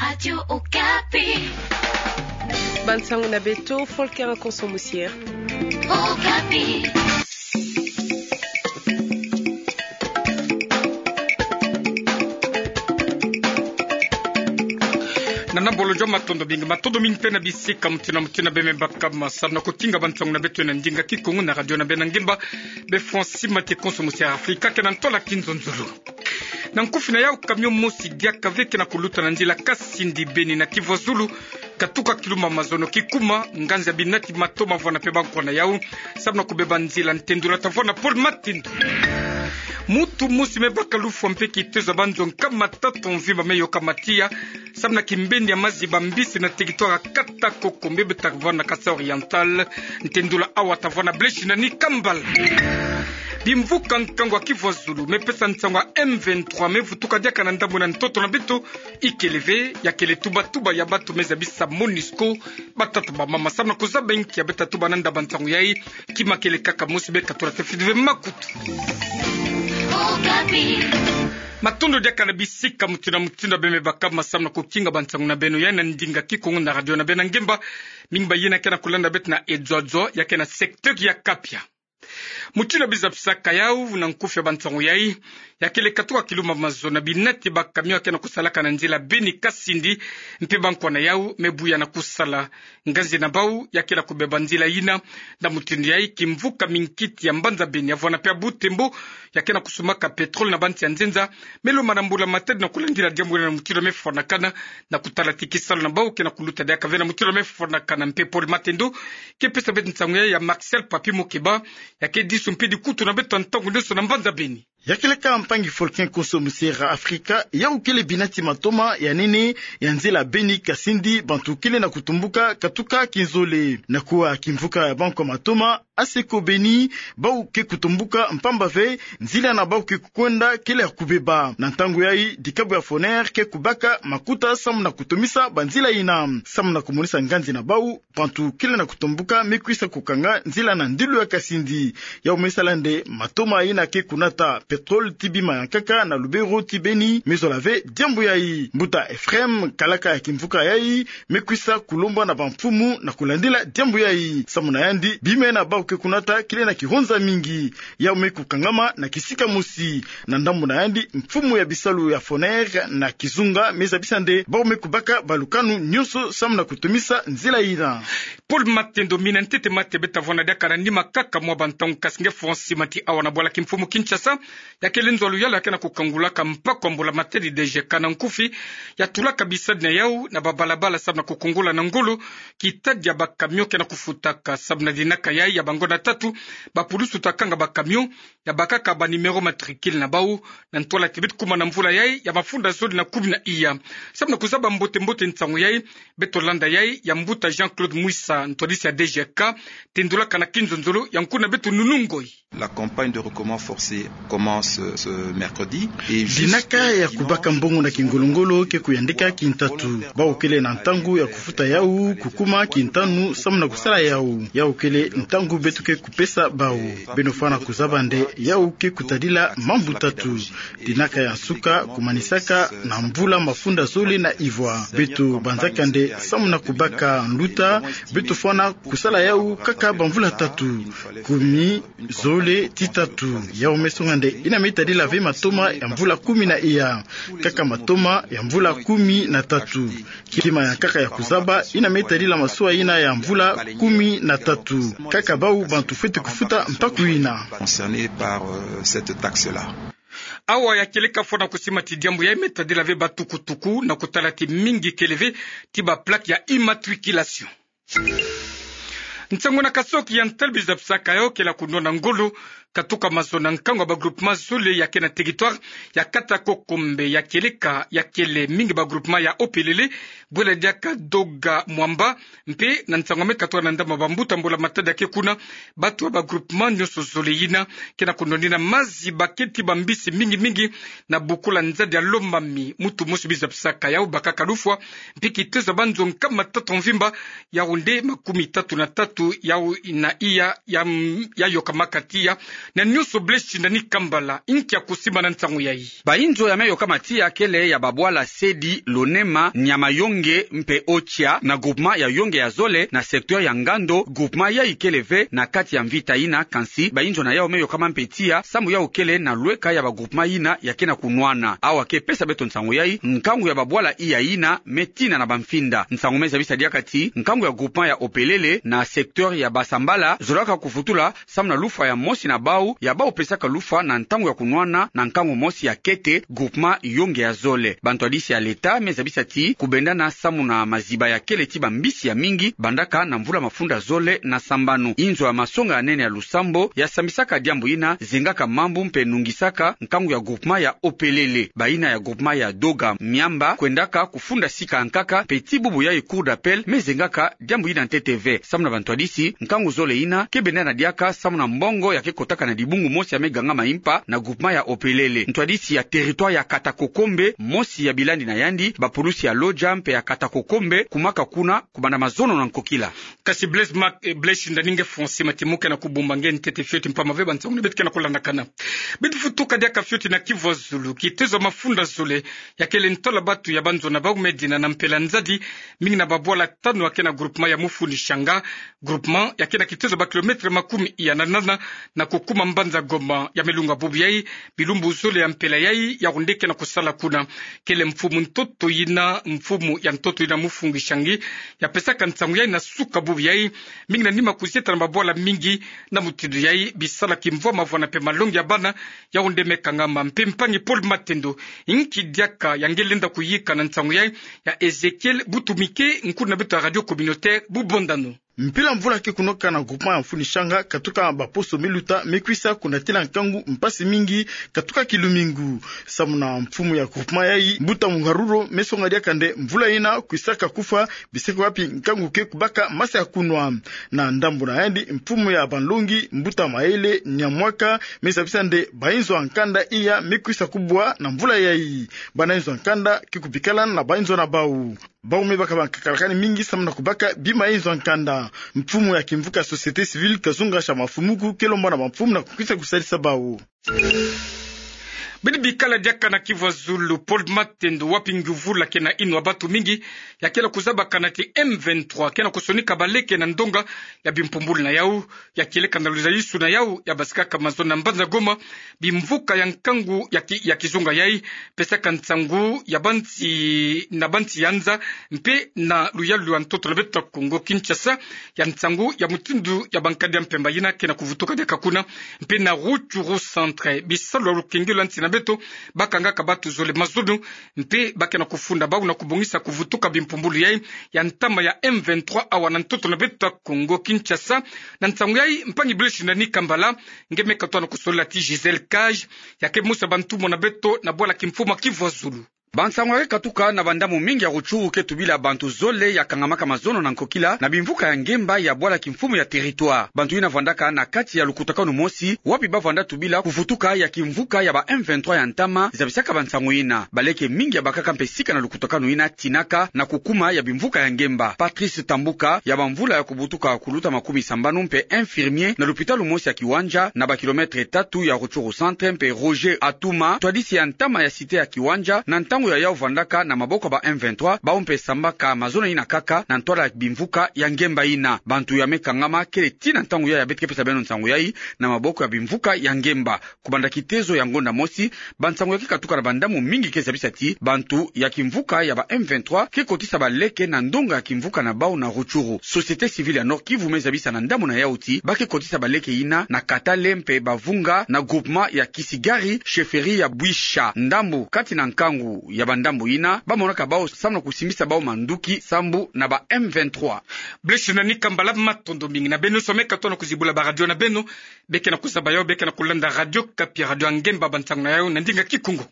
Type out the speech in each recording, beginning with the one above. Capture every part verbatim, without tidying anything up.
Radio Okapi. Bansango na beto, Volker Konso Musier. Okapi. Na nambolo joma matondo mingi, matondo mingi mpe na bisika mutindu na mutindu beme baka ma samu na kukinga bansango na beto na ndinga kikongo na radio na beno ngemba, be Francis Mate Konso Musier Afrika, ke na ntola kinzonzolo. Na nkufi na yau, camion mosi diaka ve ke na kuluta na nzila Kasindi Beni na Kivuazulu, katuka kilumbu ya mazono kikuma nganzi ya binati matoma vwanda mpe bankwa na yau, samu na kubeba nzila. Ntendula tavwanda Paul Matendo. Mutu mosi me baka lufwa mpe kitezo ya banzo nkama tatu mvimba me yoka matiya, samu na kimbeni ya maziba mbisi na territoire ya kata Kokombe, be tavwanda Kasaï Oriental. Ntendula awa tavwanda Blaise na Nikambal. Bimvuka nkangu ya Kivuazulu me pesa nsangu ya M vingt-trois me vutuka diaka na ndambu na ntoto na beto, ikele ve ya kele tuba-tuba ya bantu me zabisa MONUSCO, batata bamama, samu na kuzaba nki ya beta tuba na ndaba nsangu yai. Kima kele kaka mosi, be katula tafiti ve makutu. Matondo diaka na bisika mutindu na mutindu beme baka ma samu na kukinga bansango na beno yai na ndinga kikongo na radio na beno ngemba. Mingi ba yina ke na kulanda beto na Edzodzo, ya ke na secteur ya Kapia. Mutindu bizapisaka yau na nkufi ya bansango yai, ya kele katuka kilumbu ya mazono, binati ba camion ya ke na kusalaka na nzila Beni Kasindi mpe bankwa na yau me buya na kusala. Nganzi na bau ya ke na kubeba nzila yina. Na mutindu yai, kimvuka minkiti ya mbanza Beni ya vwanda mpe ya Butembo ya ke na kusumaka pétrole na bansi ya nzenza, me lomana mbula matadi na kulandila diambu yina na mutindu me fwanakana, na kutala ti kisalu na bau ke na kuluta diaka ve na mutindu me fwanakana. Mpe Paul Matendo ke pesa beto nsangu yai ya Marcel Papi Mokeba, ya ke disu mpe dikutu na beto ntangu nionso na mbanza Beni. Ya kele kaka mpangi Volker Konso Musier Afrika, yau kele binati matoma ya nene ya nzila Beni Kasindi, bantu kele na kutumbuka katuka kinzole. Na kuwa kimvuka ya bankwa matoma, Aseko Beni, bau ke kutumbuka mpamba ve nzila na bau ke kukwenda kele ya kubeba. Na ntangu yai, dikabu ya Foner ke kubaka makuta samu na kutomisa banzila yina. Samu na kumonisa nganzi na bau, bantu kele na kutumbuka me kwisa kukanga nzila na ndilu ya Kasindi. Yau me sala nde matoma yina ke kunata pétrole ti Bima ya Nkaka na Lubero ti Beni me zola ve diambu yai. Mbuta Ephraim, kalaka ya kimvuka yai, me kwisa kulombwa na bamfumu na kulandila diambu yai. Samu na yandi, bima yina bau ke kunata kele na kihonza mingi. Yau me kukangama na kisika mosi. Na ndambu na yandi, mfumu ya bisalu ya Foner na kizunga me zabisa nde bau me kubaka balukanu nionso samu na kutomisa nzila yina. Paul Matendo. Mina ntete mate beta vwanda diaka na nima kaka mwa bantangu, kasi nge Francis Mate awa na bwala kimfumu Kinshasa, ya kele nzo ya luyalu ya ke na kukangulaka mpaku ya mbula matadi D G K na nkufi, ya tulaka bisadi na yau na babalabala samu na kukungula na ngolo kitadi ya ba camion ke na kufutaka. Samu na dinaka yai ya bangonda tatu, bapulusu ta kanga ba camion, ya bakaka ba numéro matricule na bau, na ntwala ti beto kuma na mvula yai ya mafunda zole na kumi na iya. Samu na kuzaba mbote-mbote nsangu yai, beto landa yai ya mbuta Jean-Claude Mwisa, ntwadisi ya D G K, tendulaka na kinzonzolo ya nkuna beto Nunu Ngoyi. La campagne de recrutement forcé commence ce mercredi et jusqu'à dimanche. Dinaka ya kubaka mbongo na kingolo-ngolo ke kuyandika kintatu. Bau kele na ntangu ya kufuta yau, kukuma kintanu, samu na kusala yau. Yau kele ntangu beto ke kupesa bau. Beno fwana kuzaba nde yau ke kutadila mambu tatu. Dinaka ya nsuka kumanisaka na mvula mafunda zole na ivwa. Beto banzaka nde samu na kubaka nluta, beto fwana kusala yau kaka bamvula tatu. Kumi, zole, ti tatu. Yau me songa nde yina me tadila ve matoma ya mvula kumi na iya. Kaka matoma ya mvula kumi na tatu. Kima ya nkaka ya kuzaba, yina me tadila masuwa yina ya mvula kumi na tatu. Kaka bau bantu fwete kufuta mpaku yina. Concernés par, euh, cette taxe-là. Awa ya kele ka fwana kusima ti diambu yai me tadila ve batukutuku na kutala ti mingi kele ve ti ba plaque ya immatriculation. Nsangu na kasoki ya ntali bizapisaka yau ke la kunwana ngolo, katuka mazono na nkangu ya ba groupement zole ya ke na territoire ya kata Kokombe. Ya kele ka, ya kele mingi ba groupement ya Opelele, Bwela Diaka, Doga, Mwamba, mpe na nsangu me katuka na ndambu ya bambuta mbula matadi ya ke kuna, bantu ya ba groupement nionso zole yina ke na kunwanina maziba ke ti bambisi mingi-mingi na bukula nzadi ya Lomami. Mutu mosi bizapisaka yau bakaka lufwa, mpe kitezo ya banzo nkama tatu mvimba, yau nde makumi tatu na tatu, yau na iya ya, ya yokamaka tiya. Na nyonso Blaise Shindani Kambala, inkia kusimbana nsangu yai. Bainzo ya me yokama tiya kele ya babwala Sedi, Lonema, Niama-Yongue mpe Ocha, na groupement ya Yongue ya zole, na secteur ya Ngando. Groupement yai kele ve na kati ya mvita yina, kansi bainzo na yau me yokama mpe tiya, samu yau kele na lweka ya bagroupement yina ya ke na kunwana. Awa ke pesa beto nsangu yai, nkangu ya babwala iya yina me tina na bamfinda. Nsangu me zabisa diaka ti, nkangu ya groupement ya Opelele, na secteur ya Basambala, zolaka kuvutula, samu na lufwa ya mosi na bau, ya bau pesaka lufwa na ntangu ya kunwana, na nkangu mosi ya kete, groupement Yongue ya zole. Bantwadisi ya leta me zabisa ti, kubendana samu na maziba ya kele ti bambisi ya mingi, bandaka na mvula mafunda zole na sambanu. Inzo ya masonga ya nene ya Lusambo, ya sambisaka diambu yina, zengaka mambu mpe nungisaka nkangu ya groupement ya Opelele. Bayina ya groupement ya Doga Miamba, kwendaka kufunda sika nkaka, mpe ti bubu yai Cour d'appel me zengaka diambu yina ntete ve. Samu na bantwadisi, nkangu zole yina ke bendana diaka samu na mbongo ya ke kotaka na dibungu mosi ya me gangama impa na groupement ya Opelele. Ntwadisi ya territoire ya Katakokombe, mosi ya bilandi na yandi, bapulusi ya Lodja mpe ya Katakokombe, kumaka kuna, kubanda mazono na nkokila. Kasi Blaise Marc, eh, Blaise Shindani, nge François Matimuke na kubumba nge ntete fioti mpamba ve bansangu ni beto ke na kulandakana. Beto vutuka diaka fioti na Kivu ya Zulu, kitezo ya mafunda zole, ya kele ntola batu ya banzo na bau me dina na mpela nzadi, mingi na babwala tanu ya ke na groupement ya Mufuni Shanga, groupement ya ke na kitezo ba kilomètre makumi iya na nana, na kukuma mbanza Goma. Ya me lunga bubu yai, bilumbu zole ya mpela yai, yawu nde ke na kusala kuna. Kele mfumu ntoto yina, mfumu ya ntoto yina Mufuni Shanga, ya pesaka nsangu yai na suka bubu yai, mingi na nima kuzieta na babwala mingi, na mutindu yai, bisala kimvwama vwana mpe malongi ya bana, yawu nde me kangama. Mpe mpangi Paul Matendo, inki diaka ya nge lenda kuyika na nsangu yai, ya Ezechiel Butumike, nkulu na beto ya radio communautaire Bubondano. Mpila mvula ke kunoka na groupement ya Mufuni Shanga, katuka baposo me luta me kwisa kunatina nkangu mpasi mingi, katuka kilumingu. Samu na mfumu ya groupement yai, Mbuta Muharuro, me songa diaka nde mvula yina kwisaka kufwa, biseke wapi nkangu ke kubaka masa ya kunwa. Na ndambu na yandi, mfumu ya banlongi, Mbuta Maele Nyamwaka, me zabisa nde bainzo ya nkanda iya me kwisa kubwa na mvula yai. Bana inzo ya nkanda ke kubikala na bainzo na bau. Bau me baka bankakalakani mingi samu na kubaka bima inzo ya nkanda. Mfumu ya kimvuka société civile Kazunga Shamafumuku ke lomba na bamfumu na kukwisa kusalisa bau. Bidi bikala diaka na Kivu ya Zulu, Paul Matendo, wapi nguvula ke na inwa batu mingi, ya kele kuzabakana ti M vingt-trois ke na kusonika baleke na ndonga ya bimpumbulu na yau, ya kieleka na luzayisu na yau, ya basikaka mazono na mbanza Goma, bimvuka ya nkangu ya ki-, ya kizunga yai, pesaka nsangu ya bansi, na bansi ya nza, mpe na luyalu ya ntoto na beto ya Kongo Kinshasa, ya nsangu ya mutindu ya bankadi ya mpemba yina ke na kuvutuka diaka kuna, mpe na Rutshuru centre, bisalu ya lukengelo ya nsi na beto, bakangaka batu zole mazono, mpe ba ke na kufunda bau na kubongisa kuvutuka bimpumbulu yai, ya ntama ya M vingt-trois awa na ntoto na beto ya Kongo Kinshasa. Na nsangu yai, mpangi Blaise Shindani Kambala, nge me katoa na kusolila ti Gisèle Cage, ya ke musa bantumwa na beto na bwala kimfumu ya Kivu ya Zulu. Bansangu ya ke katuka na bandambu mingi ya Rutshuru ke tubila bantu zole ya kangamaka mazono na nkokila na bimvuka ya ngemba ya bwala kimfumu ya territoire. Bantu yina vandaka na kati ya lukutakanu mosi, wapi bavanda tubila kuvutuka ya kimvuka ya ba M vingt-trois ya ntama zabisaka bansangu yina. Baleke mingi ya bakaka mpe sika na lukutakanu yina tinaka na kukuma ya bimvuka ya ngemba. Patrice Tambuka, ya bamvula ya kubutuka kuluta makumi sambanu mpe infirmier na lupitalu mosi ya Kiwanja na ba kilomètre tatu ya Rutshuru centre, mpe Roger Atuma, ntwadisi ya ntama ya cité ya Kiwanja, na ntangu ya yau vandaka na maboko ya ba M vingt-trois, bau mpe sambaka mazono yina kaka na ntwala ya bimvuka ya ngemba yina. Bantu ya me kangama kele tii na ntangu yai ya beto ke pesa beno nsangu yai, na maboko ya bimvuka ya ngemba. Kubanda kitezo ya ngonda mosi, bansangu ya ke katuka na bandambu mingi ke zabisa ti bantu ya kimvuka ya ba M vingt-trois ke kotisa baleke na ndonga ya kimvuka na bau na Rutshuru. Société civile ya Nord-Kivu me zabisa na ndambu na yau ti ba ke kotisa baleke yina na Katale mpe Bavunga na groupement ya Kisigari, chefferie ya Bwisha. Ndambu kati na nkangu ya bandambu yina, bamonaka bau samu na kusimbisa bau manduki sambu na ba M vingt-trois. Blaise Shindani Kambala, matondo mingi. Na beno nyonso ya me katoa na kuzibula ba radio na beno, beke na kuzaba yau, beke na kulanda Radio Okapi, radio ya ngemba, bansangu na yau na ndinga Kikongo.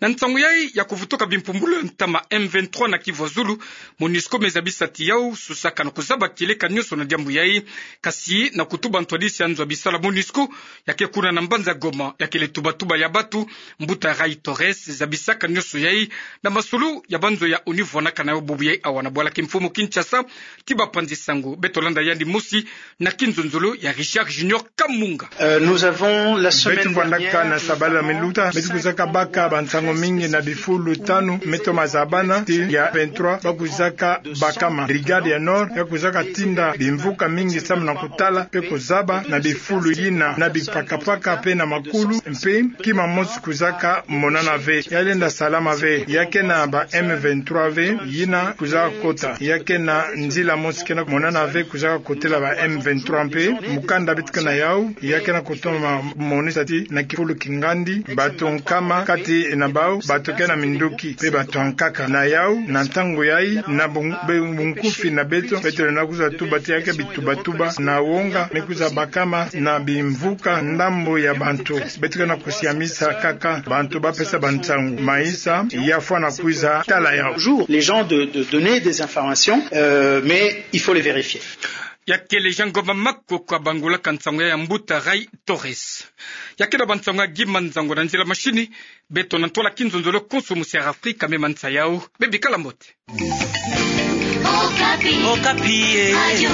Na nsangu yai ya kuvutuka bimpumbulu ya ntama M vingt-trois na kivu ya zulu, MONUSCO me zabisa ti yau susaka na kuzaba kieleka nioso na diambu yai. Kasi na kutuba ntwadisi ya nzo ya bisala MONUSCO, ya ke kuna na mbanza Goma, ya kele tubatuba ya batu, Mbuta Ray Torres zabisaka nioso yai na masulu ya banzo ya ONU vwanaka na yau bubu yai awa na bwala kimfumu Kinshasa. Ti bapanzi sango beto landa yandi mosi na kinzonzolo ya Richard Junior Kamunga. Euh, nous avons la semaine Beto fwandaka na sabala miluta, beto kuzaka baka bansango mingi na bifulu tanu me toma zabana ti ya vingt-trois ba kuzaka bakama. Brigade ya Nord ya kuzaka tinda bimvuka mingi samu na kutala pe kuzaba na bifulu yina na bipakapaka pe na makulu, mpe kima mosi kuzaka monana ve, ya lenda salama ve, ya ke na ba M vingt-trois ve yina kuzaka kota, ya ke na nzila mosi ke na monana ve kuzaka kotela ba M vingt-trois mpe. Mukanda beto ke na yau ya ke na kutoma monisa ti na kifulu kingandi, bato nkama kati na bau bato ke na minduki mpe bato ankaka. Na yau, na ntangu yai, na bun-, be-, bunkufi na beto, beto lenda kwiza tuba ti ya ke bitubatuba na wonga me kwiza bakama na bimvuka ndambu ya bantu. Beto ke na kusiamisa kaka bantu ba pesa bansangu. Maïssa, ya fwana kwiza tala yau. Toujours les gens de, de donner des informations, euh, mais il faut les vérifier. Ya kele Jean Ngoma Makoko abangulaka nsangu ya Mbuta Ray Torres. Ya ke na bansangu ya Guy Manzango na nzila mashini, beto na ntwala kinzonzolo konso musi ya Afrika me mansa yau. Bebikala mbote. Okapi. Okapi, eh. Radio